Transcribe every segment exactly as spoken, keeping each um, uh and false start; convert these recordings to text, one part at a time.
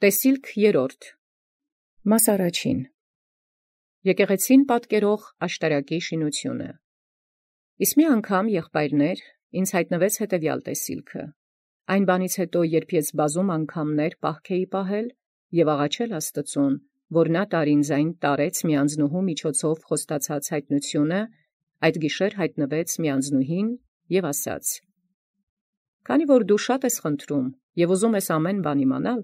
Տեսիլք երրորդ. Մաս առաջին. Եկեղեցին պատկերող աշտարակի շինությունը։ Իսկ մի անգամ եղբայրներ ինձ հայտնվեց հետևյալ տեսիլքը. այն բանից հետո, երբ ես բազում անգամներ պահքեի պահել և աղաչել Աստծուն, որ նա տար ինձ այն տարեց մի անձնուհու միջոցով խոստացած հայտնությունը, այդ գիշեր հայտնվեց մի անձնուհին և ասաց. «Քանի որ դու շատ ես խնդրում և ուզում ես ամեն բան իմանալ,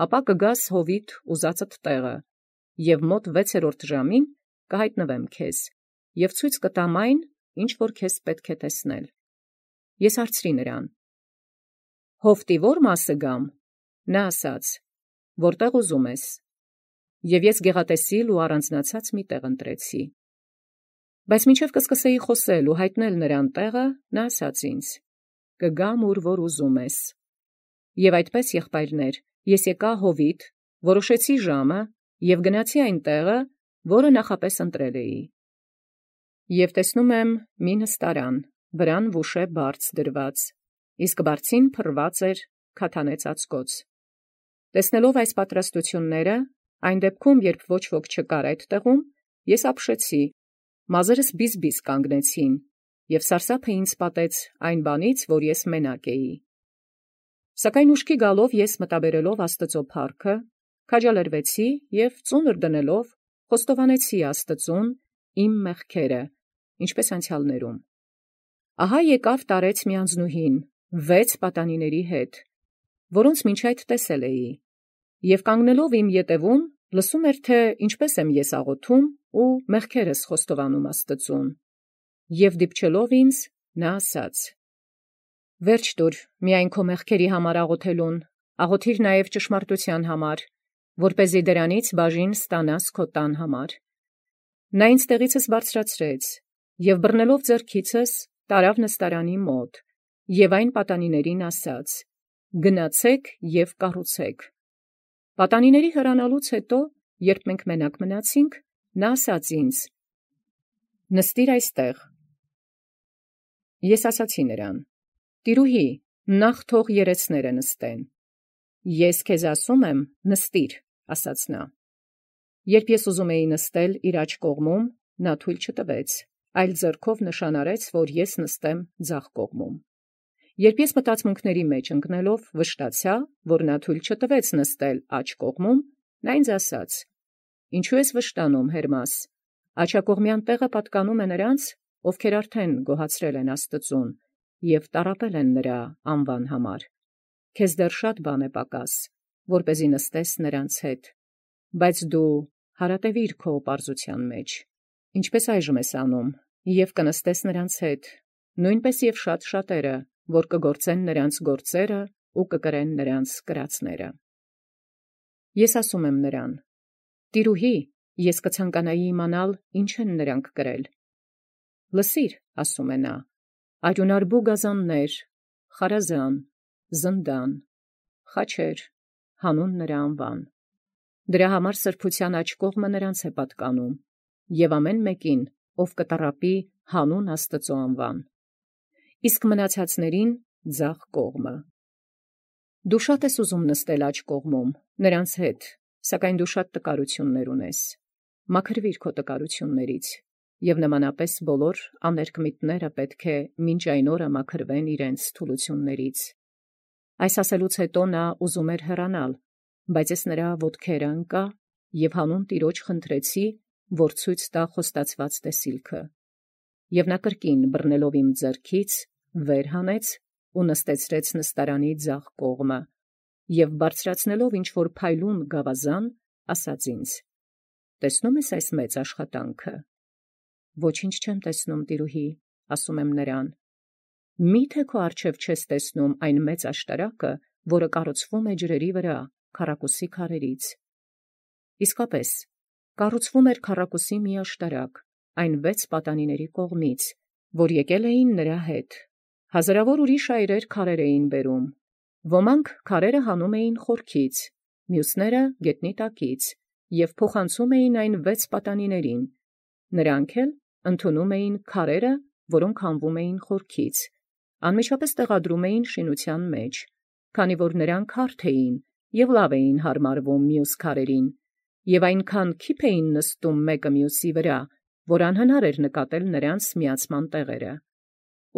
ապա կգաս հովիտ ուզածդ տեղը, և մոտ վեցերորդ ժամին կհայտնվեմ քեզ, և ցույց կտամ այն, ինչ որ քեզ պետք է տեսնել»։ Ես հարցրի նրան. «Հովտի ո՞ր մասը գամ»։ Նա ասաց. «Որտեղ ուզում ես»։ Եվ ես գեղատեսիլ ու առանձնացած մի տեղ ընտրեցի։ Բայց մինչև կսկսեի խոսել ու հայտնել նրան տեղը, նա ասաց ինձ. «Կգամ ուր որ ուզում ես»։ Եւ այդպես, եղբայրներ, ես եկա հովիտ, որոշեցի ժամը և գնացի այն տեղը, որը նախապես ընտրել էի։ Եվ տեսնում եմ մի նստարան, վրան վուշե բարձ դրված, իսկ բարձին փռված էր քաթանե ծածկոց։ Տեսնելով այս պատրաստությունները, այն դեպքում, երբ ոչ ոք չկար այդ տեղում, ես ապշեցի, մազերս բիզ-բիզ կանգնեցին, և սարսափը ինձ պատեց այն բանից, որ ես մենակ էի։ Սակայն ուշքի գալով ես մտաբերելով Աստծո փառքը, քաջալերվեցի և ծունր դնելով խոստովանեցի Աստծուն իմ մեղքերը, ինչպես անցյալներում։ Ահա եկավ տարեց մի անձնուհին վեց պատանիների հետ, որոնց մինչ այդ տեսել էի, և կանգնելով իմ ետևում, լսում էր, թե ինչպես եմ ես աղոթում ու մեղքերս խոստովանում Աստծուն, և դիպչելով ինձ, նա ասաց. «Վերջ տուր միայն քո մեղքերի համար աղոթելուն, աղոթիր նաև ճշմարտության համար, որպեսզի դրանից բաժին ստանաս քո տան համար»։ Նա ինձ տեղիցս բարձրացրեց և բռնելով ձեռքիցս տարավ նստարանի մոտ և այն պատանիներին ասաց. «Գնացեք և կառուցեք»։ Պատանիների հեռանալուց հետո, երբ մենք մենակ մնացինք, նա ասաց ինձ. «Նստիր այստեղ»։ Ես ասացի նրան. «Տիրուհի, նախ թող երեցները նստեն»։ «Ես քեզ ասում եմ, նստիր», ասաց նա։ Երբ ես ուզում էի նստել իր աջ կողմում, նա թույլ չտվեց, այլ ձեռքով նշան արեց, որ ես նստեմ ձախ կողմում։ Երբ ես մտածմունքների մեջ ընկնելով վշտացա, որ նա թույլ չտվեց նստել աջ կողմում, նա ինձ ասաց. «Ինչու ես վշտանում, Հերմաս, աջակողմյան տեղը պատկանում է նրանց, ովքեր արդեն գոհացրել են Աստծուն և տառապել են նրա անվան համար։ Քեզ դեռ շատ բան է պակաս, որպեսզի նստես նրանց հետ, բայց դու հարատևիր քո պարզության մեջ, ինչպես այժմ ես անում, և կնստես նրանց հետ, նույնպես և շատ շատերը, որ կգործեն նրանց գործերը ու կկրեն նրանց կրածները»։ Ես ասում եմ նրան. «Տիրուհի, ես կցանկանայի իմանալ, ինչ են նրանք կրել»։ «Լսիր», ասում է նա, «արյունարբու գազաններ, խարազան, զնդան, խաչեր, հանուն նրա անվան։ Դրա համար սրբության աջ կողմը նրանց է պատկանում, և ամեն մեկին, ով կտառապի հանուն Աստծու անվան, իսկ մնացածներին ձախ կողմը։ Դու շատ ես ուզում նստել աջ կողմում նրանց հետ, սակայն դու շատ տկարություններ ունես. մաքրվիր քո տկարություններից, և նմանապես բոլոր աներկմիտները պետք է մինչ այն օրը մաքրվեն իրենց թուլություններից»։ Այս ասելուց հետո նա ուզում էր հեռանալ, բայց ես նրա ոտքերը ընկա և հանուն Տիրոջ խնդրեցի, որ ցույց տա խոստացված տեսիլքը։ Եվ նա կրկին բռնելով իմ ձեռքից վեր հանեց ու նստեցրեց նստարանի ձախ կողմը, և բարձրացնելով ինչ-որ փայլուն գավազան, ասաց ինձ. «Տեսնո՞ւմ ես այս մեծ աշխատանքը»։ «Ոչինչ չեմ տեսնում, տիրուհի», ասում եմ նրան։ «Մի՞թե քո առջև չես տեսնում այն մեծ աշտարակը, որը կառուցվում է ջրերի վրա, քառակուսի քարերից»։ Իսկապես, կառուցվում էր քառակուսի մի աշտարակ, այն վեց պատանիների կողմից, որ եկել էին նրա հետ։ Հազարավոր ուրիշ այրեր քարեր էին բերում, ոմանք քարերը հանում էին խորքից, մյուսները գետնի տակից, և փոխանցում էին այն վեց պատանիներին, նրանք էլ ընդունում էին քարերը, որոնք հանվում էին խորքից, անմիջապես տեղադրում էին շինության մեջ, քանի որ նրանք հարթ էին և լավ էին հարմարվում մյուս քարերին, և այնքան քիփ էին նստում մեկը մյուսի վրա, որ անհնար էր նկատել նրանց միացման տեղերը։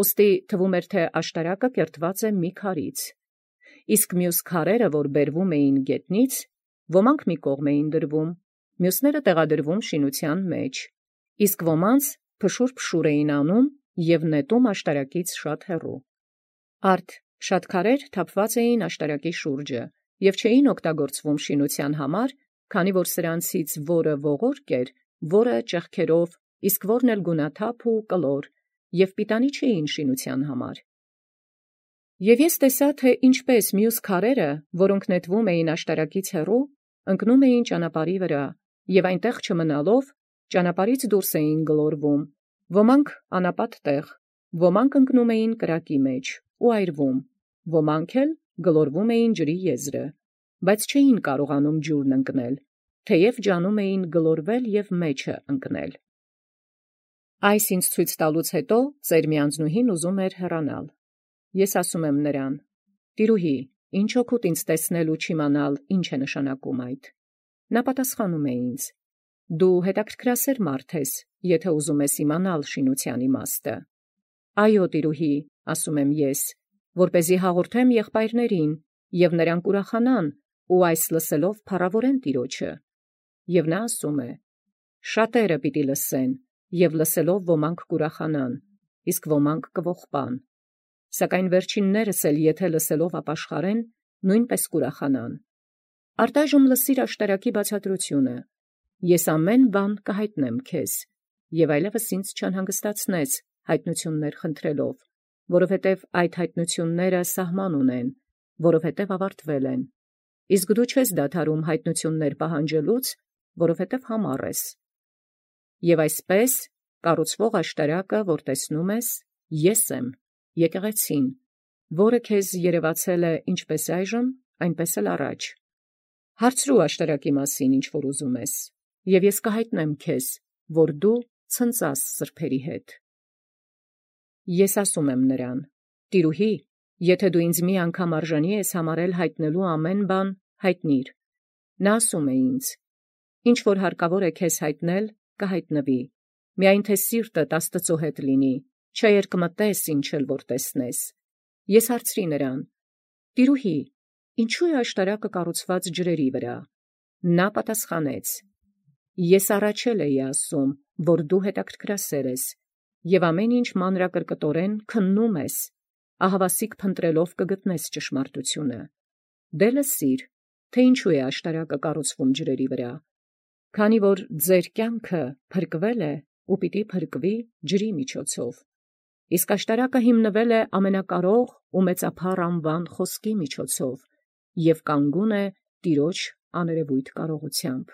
Ուստի թվում էր, թե աշտարակը կերտված է մի քարից, իսկ մյուս քարերը, որ բերվում էին գետնից, ոմանք մի կողմ էին դրվում, մյուսները տեղադրվում շինության մեջ, իսկ ոմանց փշուր-փշուր էին անում և նետում աշտարակից շատ հեռու։ Արդ շատ քարեր թափված էին աշտարակի շուրջը և չէին օգտագործվում շինության համար, քանի որ սրանցից որը ողորկ էր, որը ճեղքերով, իսկ որն էլ գունաթափ ու կլոր, և պիտանի չէին շինության համար։ Եվ ես տեսա, թե ինչպես մյուս քարերը, որոնք նետվում էին աշտարակից հեռու, ընկնում էին ճանապարհի վրա, և այնտեղ չմնալով, ճանապարհից դուրս էին գլորվում, ոմանք անապատ տեղ, ոմանք ընկնում էին կրակի մեջ ու այրվում, ոմանք էլ գլորվում էին ջրի եզրը, բայց չէին կարողանում ջուրն ընկնել, թեև ջանում էին գլորվել և մեջը ընկնել։ Այս ինձ ցույց տալուց հետո ծեր միանձնուհին ուզում էր հեռանալ։ Ես ասում եմ նրան. «Տիրուհի, ինչ օգուտ ինձ տեսնել ու չիմանալ, ինչ է նշանակում այդ»։ Նա պատասխանում է ինձ. «Դու հետաքրքրասեր մարդ ես, եթե ուզում ես իմանալ շինության իմաստը»։ «Այո, տիրուհի», ասում եմ ես, որպեսզի հաղորդեմ եղբայրներին, և նրանք ուրախանան ու այս լսելով փառավորեն Տիրոջը։ Եվ նա ասում է. «Շատերը պիտի լսեն, և լսելով ոմանք կուրախանան, իսկ ոմանք կողբան, սակայն վերջիններս էլ եթե լսելով ապաշխարեն, նույնպես կուրախանան։ Արտայժմ լսիր աշտարակի բացատրությունը. ես ամեն բան կհայտնեմ քեզ, և այլևս ինձ չանհանգստացնես հայտնություններ խնդրելով, որովհետև այդ հայտնությունները սահման ունեն, որովհետև ավարտվել են, իսկ դու չես դադարում հայտնություններ պահանջելուց, որովհետև համառ ես։ Եվ այսպես կառուցվող աշտարակը, որ տեսնում ես, ես եմ, եկեղեցին, որը քեզ երևացել է ինչպես այժմ, այնպես էլ առաջ։ Հարցրու աշտարակի մասին, ինչ որ ուզում ես, և ես կհայտնեմ քեզ, որ դու ցնծաս սրբերի հետ։ Ես ասում եմ նրան. «Տիրուհի, եթե դու ինձ մի անգամ արժանի ես համարել հայտնելու ամեն բան, հայտնիր»։ Նա ասում է ինձ. «Ինչ որ հարկավոր է քեզ հայտնել, կհայտնվի, միայն թե սիրտդ Աստծո հետ լինի, չերկմտես, ինչ էլ որ տեսնես»։ Ես հարցրի նրան. «Տիրուհի, ինչու է աշտարակը կառուցված ջրերի վրա»։ Նա պատասխանեց. «Ես առաջ էլ էի ասում, որ դու հետաքրքրասեր ես, և ամեն ինչ մանրակրկտորեն քննում ես, ահավասիկ փնտրելով կգտնես ճշմարտությունը։ Դե լսիր, թե ինչու է աշտարակը կառուցվում ջրերի վրա, քանի որ ձեր կյանքը փրկվել է ու պիտի փրկվի ջրի միջոցով, իսկ աշտարակը հիմնվել է ամենակարող ու մեծափառ անվան խոսքի միջոցով և կանգուն է Տիրոջ աներևույթ կարողությամբ։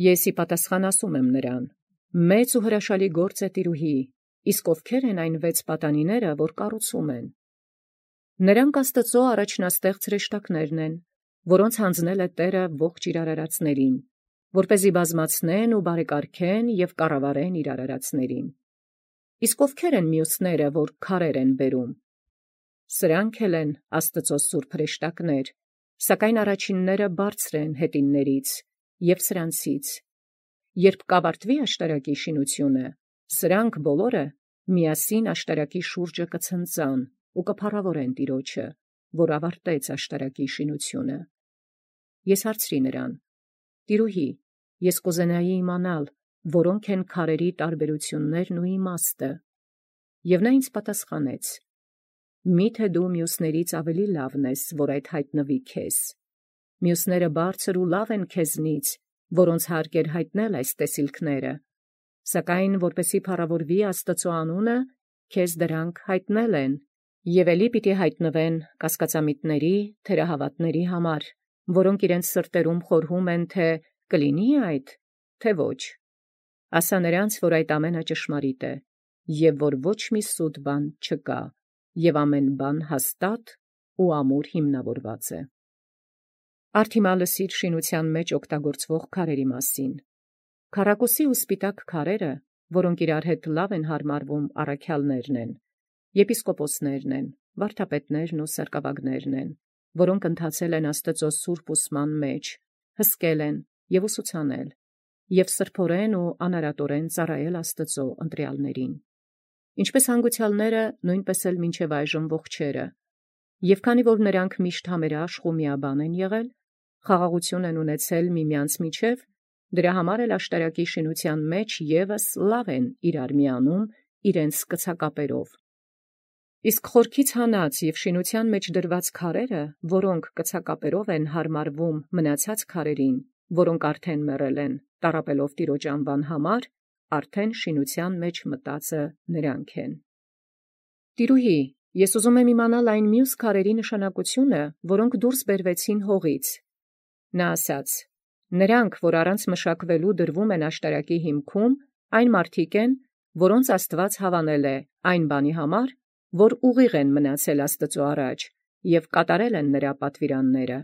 Ես ի պատասխան ասում եմ նրան. «Մեծ ու հրաշալի գործ է, տիրուհի, իսկ ովքեր են այն վեց պատանիները, որ կառուցում են»։ Նրանք Աստծո առաջնաստեղծ հրեշտակներն են, որոնց հանձնել է Տերը ողջ իր արարածներին, որպեսզի բազմացնեն ու բարեկարգեն և կառավարեն իր արարածներին։ Իսկ ովքեր են մյուսները, որ քարեր են բերում։ Սրանք էլ են Աստծո սուրբ հրեշտակներ, սակայն առաջինները բարձր են հետիններից և սրանցից։ Երբ կավարտվի աշտարակի շինությունը, սրանք բոլորը միասին աշտարակի շուրջը կցնծան ու կփառավորեն Տիրոջը, որ ավարտեց աշտարակի շինությունը։ Ես հարցրի նրան. «Տիրուհի, ես կուզենայի իմանալ, որոնք են քարերի տարբերություններն ու իմաստը»։ Եվ նա ինձ պատասխանեց. «Միթե դու մյուսներից ավելի լավն ես, որ այդ հայտնվի քեզ։ Մյուսները բարձր ու լավ են քեզնից, որոնց հարկ էր հայտնել այս տեսիլքները, սակայն որպեսզի փառավորվի Աստծո անունը, քեզ դրանք հայտնել են, և էլի պիտի հայտնվեն կասկածամիտների, թերահավատների համար, որոնք իրենց սրտերում խորհում են, թե կլինի՞ այդ, թե ոչ։ Ասա նրանց, որ այդ ամենը ճշմարիտ է, և որ ոչ մի սուտ բան չկա, և ամեն բան հաստատ ու ամուր հիմնավորված է»։ Արդ հիմա լսիր շինության մեջ օգտագործվող քարերի մասին։ Քառակուսի ու սպիտակ քարերը, որոնք իրար հետ լավ են հարմարվում, առաքյալներն են, եպիսկոպոսներն են, վարդապետներն ու սարկավագներն են, որոնք ընթացել են Աստծո սուրբ ուսման մեջ, հսկել են և ուսուցանել, և սրբորեն ու անարատորեն ծառայել Աստծո ընտրյալներին, ինչպես հանգուցյալները, նույնպես էլ մինչև այժմ ողջերը, և քանի որ նրանք միշտ համերաշխ ու միաբան են եղել, խաղաղություն են ունեցել միմյանց միջև, դրա համար էլ աշտարակի շինության մեջ ևս լավ են իրար միանում իրենց կցակապերով։ Իսկ խորքից հանած և շինության մեջ դրված քարերը, որոնք կցակապերով են հարմարվում մնացած քարերին, որոնք արդեն մեռել են, տառապելով Տիրոջ անվան համար, արդեն շինության մեջ մտածը նրանք են։ Տիրուհի, ես ուզում եմ իմանալ այն մյուս քարերի նշանակությունը, որոնք դուրս բերվեցին հողից։ Նա ասաց. նրանք, որ առանց մշակվելու դրվում են աշտարակի հիմքում, այն մարդիկ են, որոնց Աստված հավանել է այն բանի համար, որ ուղիղ են մնացել Աստծո առաջ և կատարել են նրա պատվիրանները։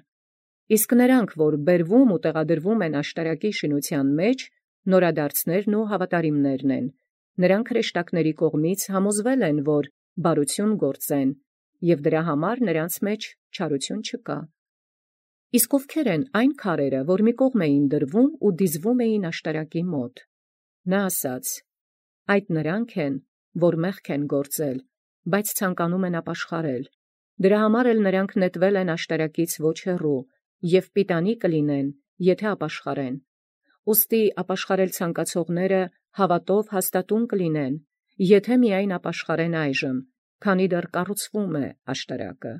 Իսկ նրանք, որ բերվում ու տեղադրվում են աշտարակի շինության մեջ, նորադարձներն ու հավատարիմներն են, նրանք հրեշտակների կողմից համոզվել են, որ բարություն գործեն, և դրա համար նրանց մեջ չարություն չկա։ Իսկ ովքեր են այն քարերը, որ մի կողմ էին դրվում ու դիզվում էին աշտարակի մոտ։ Նա ասաց. այդ նրանք են, որ մեղք են գործել, բայց ցանկանում են ապաշխարել, դրա համար էլ նրանք նետվել են աշտարակից ոչ հեռու և պիտանի կլինեն, եթե ապաշխարեն։ Ուստի ապաշխարել ցանկացողները հավատով հաստատուն կլինեն, եթե միայն ապաշխարեն այժմ, քանի դեռ կառուցվում է աշտարակը,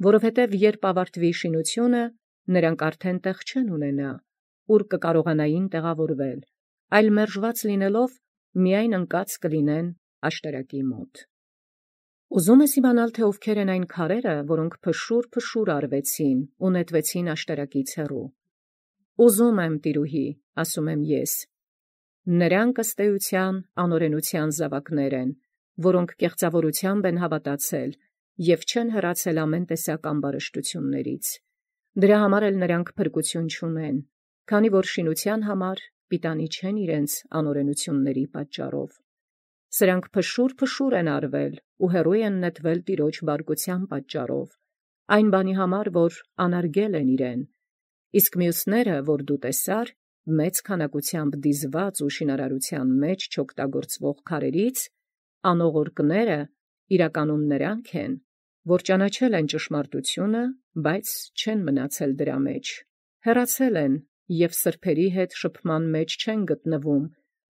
որովհետև երբ ավարտվի շինությունը, նրանք արդեն տեղ չեն ունենա, ուր կկարողանային տեղավորվել, այլ մերժված լինելով միայն ընկած կլինեն աշտարակի մոտ։ Ուզում ես իմանալ, թե ովքեր են այն քարերը, որոնք փշուր-փշուր արվեցին ու նետվեցին աշտարակից հեռու։ Ուզում եմ, տիրուհի, ասում եմ ես։ Նրանք ըստ էության անօրենության զավակներ են, որոնք կեղծավորությամբ են հավատացել և չեն հեռացել ամեն տեսակ ամբարշտություններից։ Դրա համար էլ նրանք փրկություն չունեն, քանի որ շինության համար պիտանի չեն իրենց անօրենությունների պատճառով։ Սրանք փշուր-փշուր են արվել ու հեռու են նետվել Տիրոջ բարկության պատճառով, այն բանի համար, որ անարգել են իրեն, իսկ մյուսները, որ դու տեսար, մեծ քանակությամբ դիզված ու շինարարության մեջ չօգտագործվող քարերից, անողորկները իրականում նրանք են, որ ճանաչել են ճշմարտությունը, բայց չեն մնացել դրա մեջ, հեռացել են և սրբերի հետ շփման մեջ չեն գտնվում,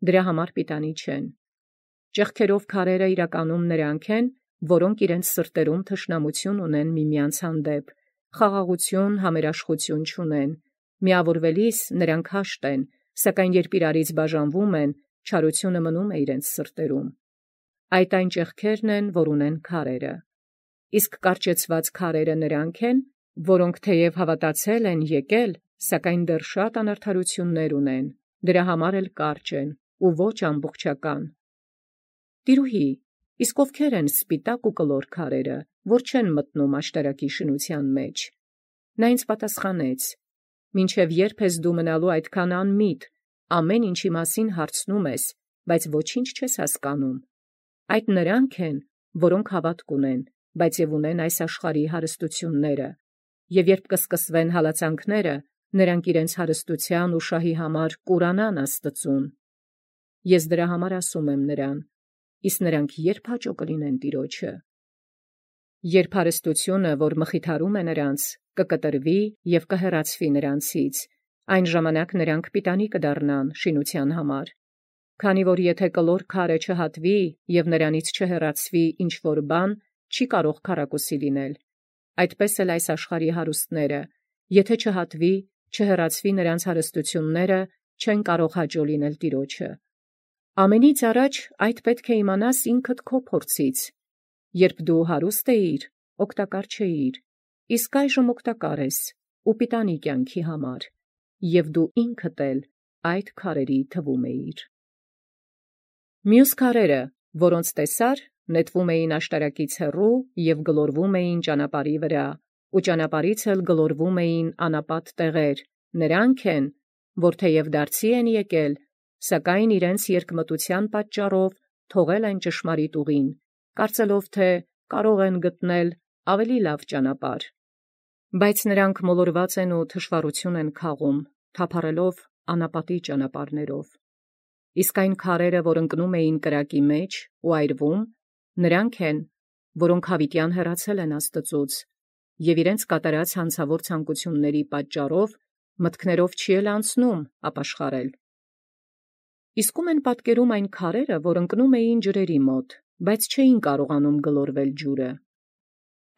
դրա համար պիտանի չեն։ Ճեղքերով քարերը իրականում նրանք են, որոնք իրենց սրտերում թշնամություն ունեն միմյանց հանդեպ, խաղաղություն, համերաշխություն չունեն, միավորվելիս նրանք հաշտ են, սակայն երբ իրարից բաժանվում են, չարությունը մնում է իրենց սրտերում։ Այդ այն ճեղքերն են, որ ունեն քարերը։ Իսկ կարճեցված քարերը նրանք են, որոնք թեև հավատացել են եկել, սակայն դեռ շատ անարդարություններ ունեն, դրա համար էլ կարճ են ու ոչ ամբողջական։ Տիրուհի, իսկ ովքեր են սպիտակ ու կլոր քարերը, որ չեն մտնում աշտարակի շինության մեջ։ Նա ինձ պատասխանեց. մինչև երբ ես դու մնալու այդքան անմիտ, ամեն ինչի մասին հարցնում ես, բայց ոչինչ չես հասկանում։ Այդ նրանք են, որոնք հավատք ունեն, բայց և ունեն այս աշխարհի հարստությունները, և երբ կսկսվեն հալածանքները, նրանք իրենց հարստության ու շահի համար կուրանան Աստծուն։ Ես դրա համար ասում եմ նրան. իսկ նրանք երբ հաճո կլինեն Տիրոջը։ Երբ հարստությունը, որ մխիթարում է նրանց, կկտրվի և կհեռացվի նրանցից, այն ժամանակ նրանք պիտանի կդառնան շինության համար։ Քանի որ եթե կլոր քարը չհատվի և նրանից չհեռացվի ինչ-որ բան, չի կարող քառակուսի լինել։ Այդպես էլ այս աշխարհի հարուստները, եթե չհատվի, չհեռացվի նրանց հարստությունները, չեն կարող հաճո լինել Տիրոջը։ Ամենից առաջ այդ պետք է իմանաս ինքդ քո փորձից։ Երբ դու հարուստ էիր, օգտակար չէիր, իսկ այժմ օգտակար ես ու պիտանի կյանքի համար, և դու ինքդ էլ այդ քարերի թվում էիր։ Մյուս քարերը, որոնց տեսար, նետվում էին աշտարակից հեռու և գլորվում էին ճանապարհի վրա, ու ճանապարհից էլ գլորվում էին անապատ տեղեր, նրանք են, որ թեև դարձի են եկել, սակայն իրենց երկմտության պատճառով թողել են ճշմարիտ ուղին, կարծելով, թե կարող են գտնել ավելի լավ ճանապարհ։ Բայց նրանք մոլորված են ու թշվառություն են քաղում, թափառելով անապատի ճանապարհներով։ Իսկ այն քարերը, որ ընկնում էին կրակի մեջ ու այրվում, նրանք են, որոնք հավիտյան հեռացել են Աստծուց, և իրենց կատարած հանցավոր ցանկությունների պատճառով մտքներով չի էլ անցնում ապաշխարել։ Իսկ ում են պատկերում այն քարերը, որ ընկնում էին ջրերի մոտ, բայց չէին կարողանում գլորվել ջուրը։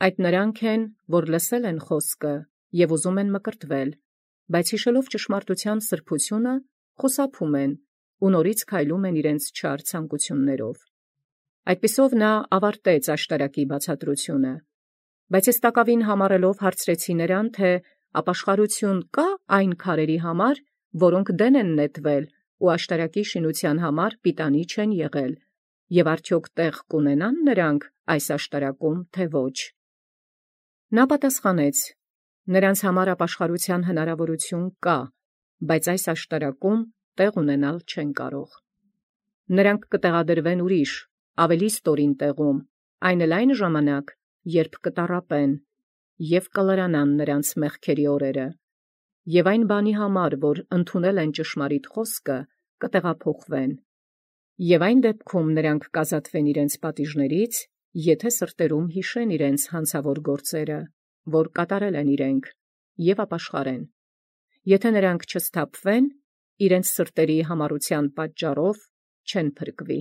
Այդ նրանք են, որ լսել են խոսքը և ուզում են մկրտվել, բայց հիշելով ճշմարտության սրբությունը, խուսափում են ու նորից քայլում են իրենց չար ցանկություններով։ Այդպիսով նա ավարտեց աշտարակի բացատրությունը, բայց ես տակավին համառելով հարցրեցի նրան, թե ապաշխարություն կա այն քարերի համար, որոնք դեն են նետվել ու աշտարակի շինության համար պիտանի չեն եղել, և արդյոք տեղ կունենան նրանք այս աշտարակում, թե ոչ։ Նա պատասխանեց. նրանց համար ապաշխարության հնարավորություն կա, բայց այս աշտարակում տեղ ունենալ չեն կարող։ Նրանք կտեղադրվեն ուրիշ, ավելի ստորին տեղում, այն էլ այն ժամանակ, երբ կտառապեն, և կլրանան նրանց մեղքերի օրերը, և այն բանի համար, որ ընդունել են ճշմարիտ խոսքը, կտեղափոխվեն, և այն դեպքում նրանք կազատվեն իրենց պատիժներից, եթե սրտերում հիշեն իրենց հանցավոր գործերը, որ կատարել են իրենք, և ապաշխարեն։ Եթե նրանք չսթափվեն, իրենց սրտերի համառության պատճառով չեն փրկվի։